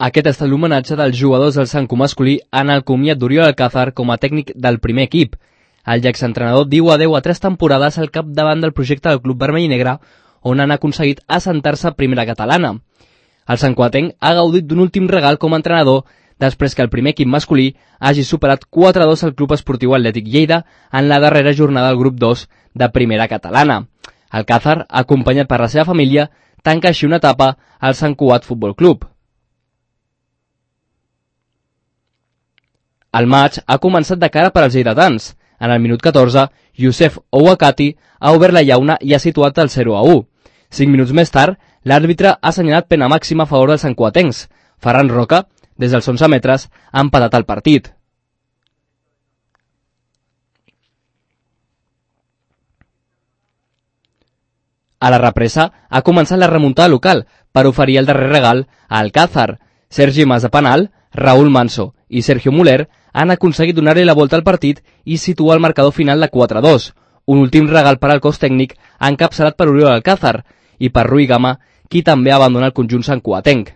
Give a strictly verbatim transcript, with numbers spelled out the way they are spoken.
Aquest ha estat l'homenatge dels jugadors del Santcu masculí en el comiat d'Oriol Alcázar com a tècnic del primer equip. El exentrenador diu adeu a tres temporades al capdavant del projecte del club vermell i negre, on han aconseguit assentar-se a primera catalana. El santcuatenc ha gaudit d'un últim regal com a entrenador després que el primer equip masculí hagi superat quatre a dos al Club Esportiu Atlètic Lleida en la darrera jornada del grup dos de primera catalana. Alcázar, acompanyat per la seva família, tanca així una etapa al Sant Cugat Futbol Club. El maig ha començat de cara per als lleidatans. En el minut catorze, Youssef Ouakati ha obert la llauna i ha situat el zero a u. Cinc minuts més tard, l'àrbitre ha assenyalat pena màxima a favor dels santcuatencs. Ferran Roca, des dels onze metres, ha empatat el partit. A la represa ha començat la remuntada local per oferir el darrer regal a Alcázar. Sergi Mas de penal, Raúl Manso i Sergio Muller han aconseguit donar-li la volta al partit i situar el marcador final de quatre a dos. Un últim regal per al cos tècnic encapçalat per Oriol Alcázar i per Rui Gama, qui també abandona el conjunt santcuatenc.